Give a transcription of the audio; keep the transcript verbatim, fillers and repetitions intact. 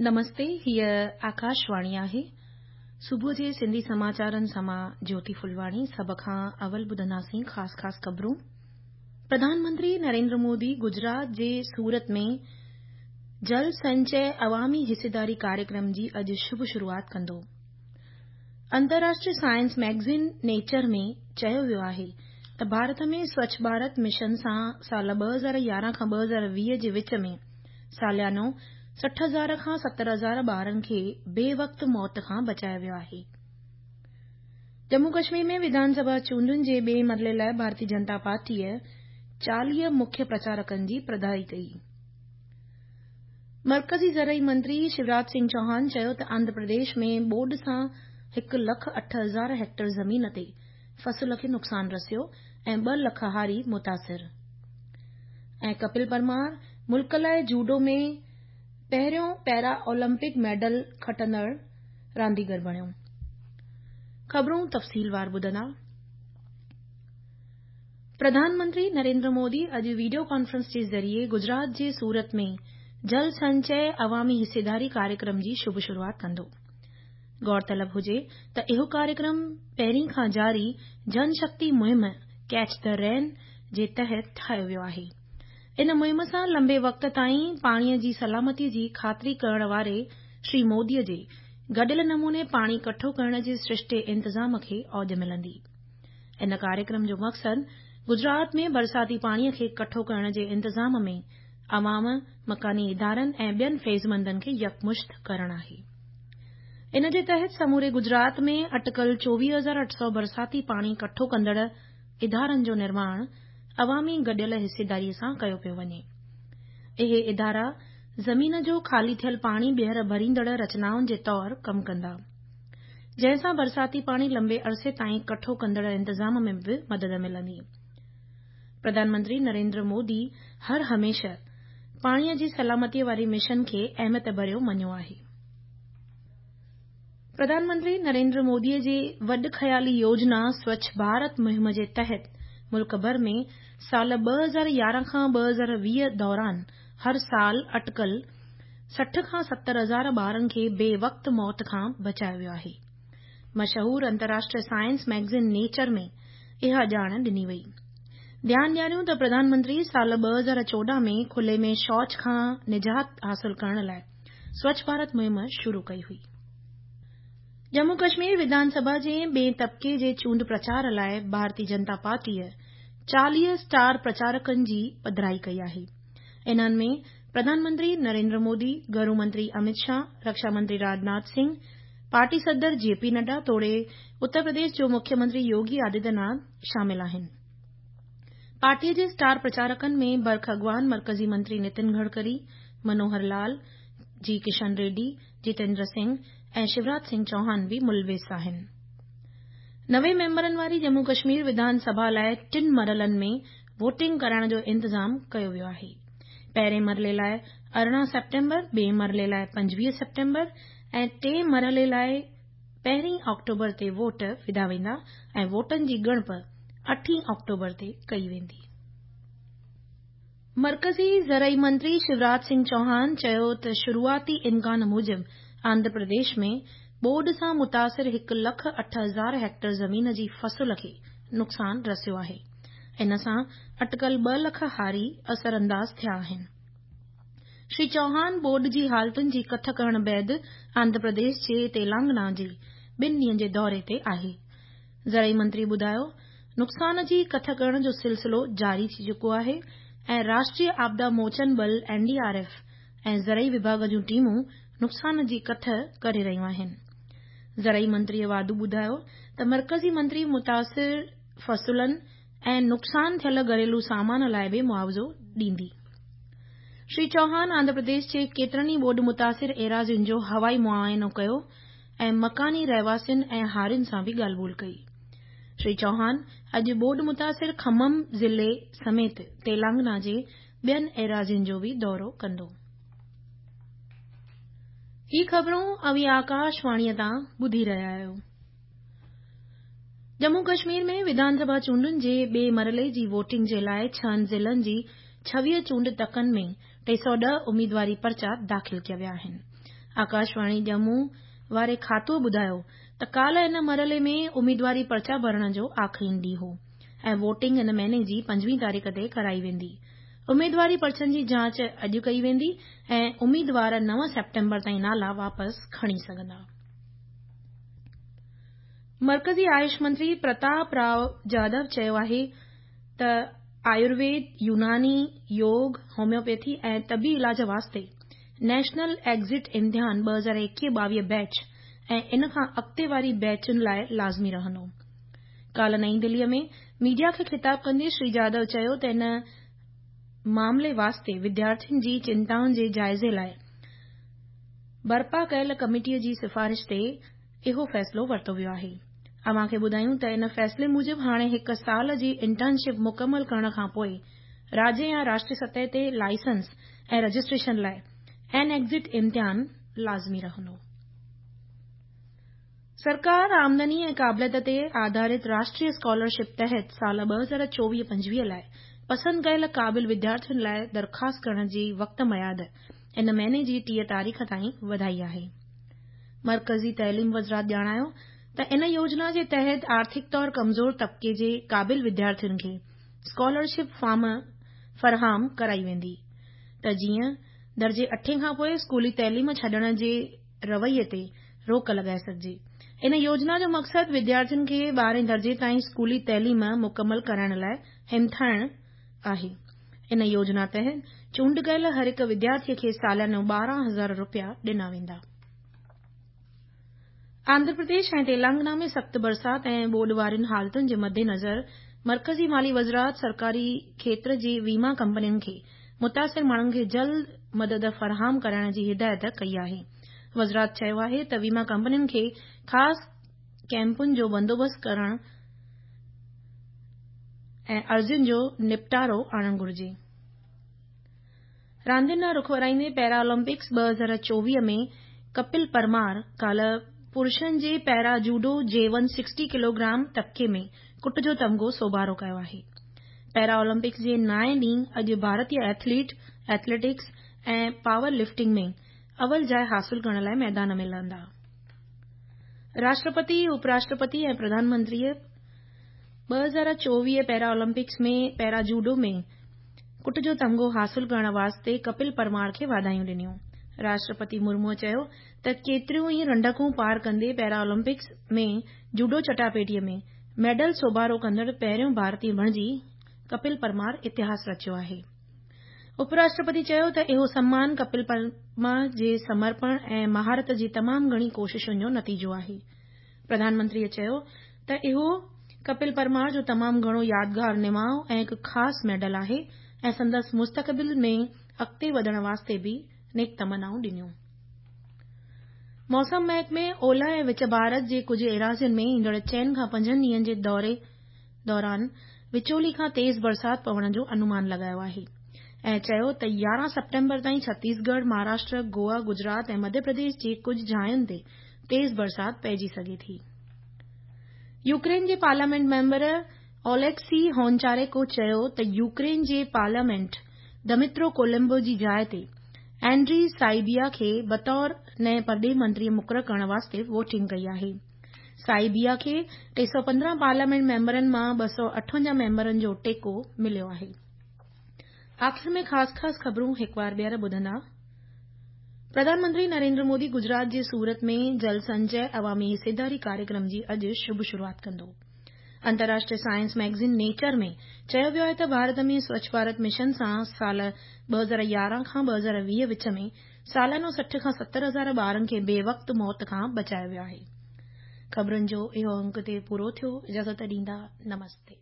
نمستي، هيء آڪاشواڻي آهي. صبح جي سنڌي سماچارن سان مان جيوتي ڦلواڻي. سڀ کان اول ٻڌنداسين خاص خاص خبرون. پرڌان منتري نريندر مودي گجرات جي سورت ۾ جل سنچي عوامي حصيداري ڪاريڪرم جي اڄ شڀ شروعات ڪندو. انترراشٽريه سائنس ميگزين نيچر ۾ چيو ويو آهي ته ڀارت ۾ سوڇ ڀارت مشن سان سال ٻه هزار يارهن کان ٻه هزار ويهه جي وچ ۾ ساليانو سٺ هزار کان ستر هزار ٻارن کي بي وقت موت کان بچايو ويو آهي. ڄمون ڪشمير ۾ وڌان سڀا چونڊن جي ٻئي مرحلي لاءِ ڀارتيه جنتا پارٽيء چاليهه مکيه پرچارڪن جي پڌرائي ڪئي. مرڪزي زرعي منتري شيوراج سنگهه چوهان چيو ته آنڌرا پرديش ۾ ٻوڏ سان هڪ لک اٺ هزار هيڪٽر زمين تي فصل کي نقصان رسيو ۽ ٻه لک هاري متاثر. ۽ ڪپل پرمار ملڪ لاءِ جوڊو ۾ پهريون پيرا اولمپڪ ميڊل کٽندڙ رانديگر بڻيو. خبرون تفصيلوار ٻڌندا. پرڌان منتري نريندر مودي اڄ وڊيو ڪانفرنس جي ذريعي گجرات جي سورت ۾ جل سنچي عوامي حصيداري ڪاريڪرم جي شڀ شروعات ڪندو. غور طلب هجي ته اهو ڪاريڪرم پهرين کان جاري جن شڪتي مهم ڪيچ the رين جي تحت ٺاهيو ويو آهي. ان مهم سان لمبي وقت تائين پاڻيءَ جي سلامتي جي خاطري ڪرڻ واري شري موديءَ جي گڏيل نموني پاڻي ڪٺو ڪرڻ جي سرشتي انتظام کي اوج ملندي. ان ڪاريڪرم جو مقصد گجرات ۾ برساتي پاڻيءَ کي ڪٺو ڪرڻ جي انتظام ۾ عوام، مڪاني ادارن ۽ ٻين فيضمندن کي يڪمشت ڪرڻ آهي. ان جي تحت سموري گجرات ۾ اٽڪل چوويهه هزار اٺ سؤ برساتي پاڻي ڪٺو ڪندڙ ادارن جو نرماڻ عوامي گڏيل حصيداريءَ سان ڪيو پيو وڃي. اهي ادارا زمين جو خالي ٿيل پاڻي ٻيهر ڀريندڙ رچنائن جي طور ڪم ڪندا، جنهن سان برساتي پاڻي لمبي عرصي تائين ڪٺو ڪندڙ انتظام ۾ به مدد ملندي. پرڌان منتري نريندر مودي هر هميشه پاڻيءَ جي سلامتيءَ واري مشن کي اهميت ڀريو مڃيو آهي. پرڌان منتري نريندر موديءَ جي وڏ خيالي يوجنا سوڇ ڀارت مهم جي تحت ملڪ ڀر ۾ سال ٻه هزار يارهن کان ٻه هزار ويهه دوران هر سال اٽڪل سٺ کان ستر هزار ٻارن کي بي وقت موت کان بچايو ويو آهي. مشهور انترراشٽريه سائنس ميگزين نيچر ۾ اها ڄاڻ ڏني وئي. ڌيان ڏياريون ته پرڌان منتري سال ٻه هزار چوڏهن ۾ کلي ۾ شوچ کان نجات حاصل ڪرڻ لاءِ سوڇ ڀارت مهم شروع ڪئي هئي. ڄمون ڪشمير وڌان سڀا جي ٻئي طبقي جي چونڊ پرچار لاءِ ڀارتيه جنتا پارٽيءَ چاليهه اسٽار پرچارڪن جي پڌرائي ڪئي آهي. انهن ۾ پرڌان منتري نريندر مودي، گهرو منتري امت شاهه، رڪشا منتري راجناٿ سنگهه، پارٽي صدر جي پي نڊا توڙي اتر پرديش جو مکيه منتري يوگي آدتيه ناٿ شامل آهن. پارٽيءَ جي اسٽار پرچارڪن ۾ برک اڳواڻ مرڪزي منتري نتن گڊڪري، منوهر لال، جي ڪشن ريڊي، جتيندر سنگهه ۽ شيوراج سنگهه چوهان به ملوث آهن. نوي ميمبرن واري ڄمون ڪشمير وڌان سڀا لاءِ ٽن مرحلن ۾ ووٽنگ ڪرائڻ جو انتظام ڪيو ويو آهي. پهرين مرحلي لاءِ ارڙهن سيپٽمبر، ٻئي مرحلي لاءِ پنجويهه سيپٽمبر ۽ ٽئين مرحلي لاءِ پهرين آڪٽوبر تي ووٽ وڌا ويندا ۽ ووٽن جي ڳڻپ اٺين آڪٽوبر تي ڪئي ويندي. مرڪزي زرعي منتري شيوراج سنگهه چوهان چيو ته شروعاتي امڪان موجب آنڌرا پرديش ۾ ٻوڏ سان متاثر هڪ لک اٺ هزار هيڪٽر زمين جي فصل کي نقصان رسيو آهي. ان سان اٽڪل ٻه لک هاري اثرانداز ٿيا آهن. شري چوهان ٻوڏ جي حالتن جي ڪٿ ڪرڻ بعد آنڌرا پرديش جي تيلنگانا جي ٻن ڏينهن جي دوري تي آهي. زرعي منتري ٻڌايو، نقصان جي ڪٿ ڪرڻ جو سلسلو جاري ٿي چڪو آهي ۽ راشٽريه آپدا موچن ٻل اين ڊي آر ايف ۽ زرعي وڀاڳ جون ٽيمون نقصان جي ڪٿ ڪري رهيون آهن. زرعي منتريءَ واڌو ٻڌايو ته مرڪزي منتري متاثر فصلن ۽ نقصان ٿيل گهريلو سامان لاءِ به معاوضو ڏيندي. شري چوهان آنڌرا پرديش جي ڪيترن ئي ٻوڏ متاثر ايراضين جو هوائي معائنو ڪيو ۽ مڪاني رهواسين ۽ هارين سان به ڳالهه ٻولهه ڪئي. شري چوهان اڄ ٻوڏ متاثر کمم ضلعي سميت تيلنگانا جي ٻين ايراضين جو به دورو ڪندو. هي خبرون اوهين آڪاشواڻيءَ تان ٻڌي رهيا آهيو. ڄمون ڪشمير ۾ وڌان سڀا چونڊن جي ٻئي مرحلي جي ووٽنگ جي لاءِ ڇهن ضلعن جي ڇويهه چونڊ تڪن ۾ ٽي سؤ ڏهه اميدواري پرچا داخل ڪيا ويا آهن. آڪاشواڻي ڄمون واري کاتو ٻڌايو ته ڪالهه ان مرحلي ۾ اميدواري پرچا ڀرڻ جو آخرين ڏينهن هو ۽ ووٽنگ ان مهيني جي پنجويهه تاريخ تي ڪرائي ويندي. اميدواري پرچن جي جاچ اڄ ڪئي ويندي ۽ اميدوار نو سيپٽمبر تائين نالا واپس کڻي سگهندا. مرڪزي آيوش منتري پرتاپ رائو جادو چيو آهي ته آيورويد، يوناني، يوگ، هوميوپيٿي ۽ طبي علاج واسطي نيشنل ايگزٽ امتحان ٻه هزار ايڪويهه ٻاويهه بيچ ۽ ان کان اڳتي واري بيچن لاء لازمي رهندو. ڪالهه نئين دلي ۾ ميڊيا کي خطاب ڪندي شري جادو چيو ته ان معاملي واسطي وديارٿين جي چنتائن جي جائزي لاء برپا ڪيل ڪميٽي جي سفارش تي اهو فيصلو ورتو ويو آهي. اوهان کي ٻڌايون ته ان فيصلي موجب هاڻي هڪ سال جي انٽرنشپ مڪمل ڪرڻ کان پوءِ راجيه يا راشٽريه سطح تي لائسنس ۽ رجسٽريشن لاءِ اين ايگزٽ امتحان لازمي رهندو. سرڪار آمدني ۽ قابليت تي آڌارت راشٽريه اسڪالرشپ تحت سال ٻه هزار چوويهه پنجويهه لاءِ پسند ڪيل قابل وديارٿين لاءِ درخواست ڪرڻ جي وقت ميعاد ان مهيني جي ٽيهه تاريخ تائين وڌائي آهي. مرڪزي تعليم وزارت ڄاڻايو ته ان يوجنا جي تحت آرٿڪ طور ڪمزور طبقي جي قابل وديارٿين کي اسڪالرشپ فارم فراهم ڪرائي ويندي ته جيئن درجي اٺين کان پوءِ اسڪولي تعليم ڇڏڻ جي رويي تي روڪ لڳائي سگهجي. ان يوجنا جو مقصد وديارٿين کي ٻارهين درجي تائين اسڪولي تعليم مڪمل ڪرائڻ لاءِ همٿائڻ آهي. ان يوجنا تحت چونڊ ڪيل هر هڪ وديارٿي کي ساليانو ٻارهن هزار رپيا ڏنا ويندا. آنڌرا پرديش ۽ تيلنگانا ۾ سخت برسات ۽ ٻوڏ وارين حالتن جي مدنظر مرڪزي مالي وزارت سرڪاري کيتر جي ويما ڪمپنين کي متاثر ماڻهن کي جلد مدد فراهم ڪرائڻ جي هدايت ڪئي آهي. وزارت چيو آهي ته ويما ڪمپنين کي خاص ڪيمپن جو بندوبست ڪرڻ ۽ عرضين جو نپٽارو آڻڻ گهرجي. راندين ڏانهن رخ ورائيندي پيرا اولمپڪس ٻه هزار چوويهه ۾ ڪپل پرمار ڪالهه پرشن جي پيرا جوڊو جي ون سڪسٽي ڪلوگرام طبقي ۾ ڪٽ جو تمغو سوڀارو ڪيو آهي. پيرا اولمپڪس جي نائين ڏينهن اڄ ڀارتيه ايٿليٽ ايٿليٽڪس ۽ پاور لفٽنگ ۾ اول جاءِ حاصل ڪرڻ لاءِ ميدان ۾ لهندا. راشٽرپتي، اپراشٽرپتي ۽ پرڌان منتريءَ ٻه هزار چوويهه پيرا اولمپڪس ۾ پيرا جوڊو ۾ ڪٽ جو تمغو حاصل ڪرڻ واسطي ڪپل پرمار کي واڌايون ڏنيون. راشٽرپتي مرموءَ چيو ته ڪيتريون ئي رنڊڪون پار ڪندي پيرا اولمپڪس ۾ جوڊو چٽاڀيٽيءَ ۾ ميڊل سوڀارو ڪندڙ پهريون ڀارتيه بڻجي ڪپل پرمار اتهاس رچيو آهي. اپراشٽرپتي چيو ته اهو سمان ڪپل پرمار جي سمرپڻ ۽ مهارت جي تمام گهڻي ڪوششن جو نتيجو آهي. پرڌان منتريءَ چيو ته اهو ڪپل پرمار جو تمام گهڻو يادگار نماءُ ۽ هڪ خاص ميڊل آهي ۽ سندس مستقبل ۾ اڳتي وڌڻ واسطي به نيڪ تمنائون ڏنيون. موسم محڪمي اولهه ۽ وچ ڀارت جي ڪجهه ايراضين ۾ ايندڙ چئن کان پنجن ڏينهن جي دوري دوران وچولي کان تيز برسات پوڻ جو انومان لڳايو آهي ۽ چيو ته يارهن سيپٽمبر تائين ڇتيسڳڙهه، مهاراشٽر، گوا، گجرات ۽ مڌيه پرديش جي ڪجهه جاين تي تيز برسات پئجي سگهي ٿي. يوڪرين جي پارليامينٽ ميمبر اوليڪسي هونچارينڪو چيو ته يوڪرين جي پارليامينٽ دمترو ڪوليبا جي جاءِ تي اينڊري سائبيا کي بطور نئين پرڏيهي منتري مقرر ڪرڻ واسطي ووٽنگ ڪئي آهي. سائبيا کي ٽي سؤ پندرهن پارليامينٽ ميمبرن مان ٻه سؤ اٺونجاهه ميمبرن جو ٽيڪو مليو آهي. آخر ۾ خاص خاص خبرون هڪ بار ٻيهر ٻڌندا. پرڌان منتري نريندر مودي گجرات جي سورت ۾ جل سنچي عوامي حصيداري ڪاريڪرم جي اڄ شڀ شروعات ڪندو. انترراشٽريه سائنس ميگزين نيچر ۾ چيو ويو آهي ته ڀارت ۾ سوڇ ڀارت مشن سان سال ٻه هزار يارهن کان ٻه هزار ويهه وچ ۾ ساليانو سٺ کان ستر هزار ٻارن کي بي وقت موت کان بچايو ويو آهي. خبرن جو اهو انڪ تي پورو ٿيو. اجازت ڏيندا. نمستي.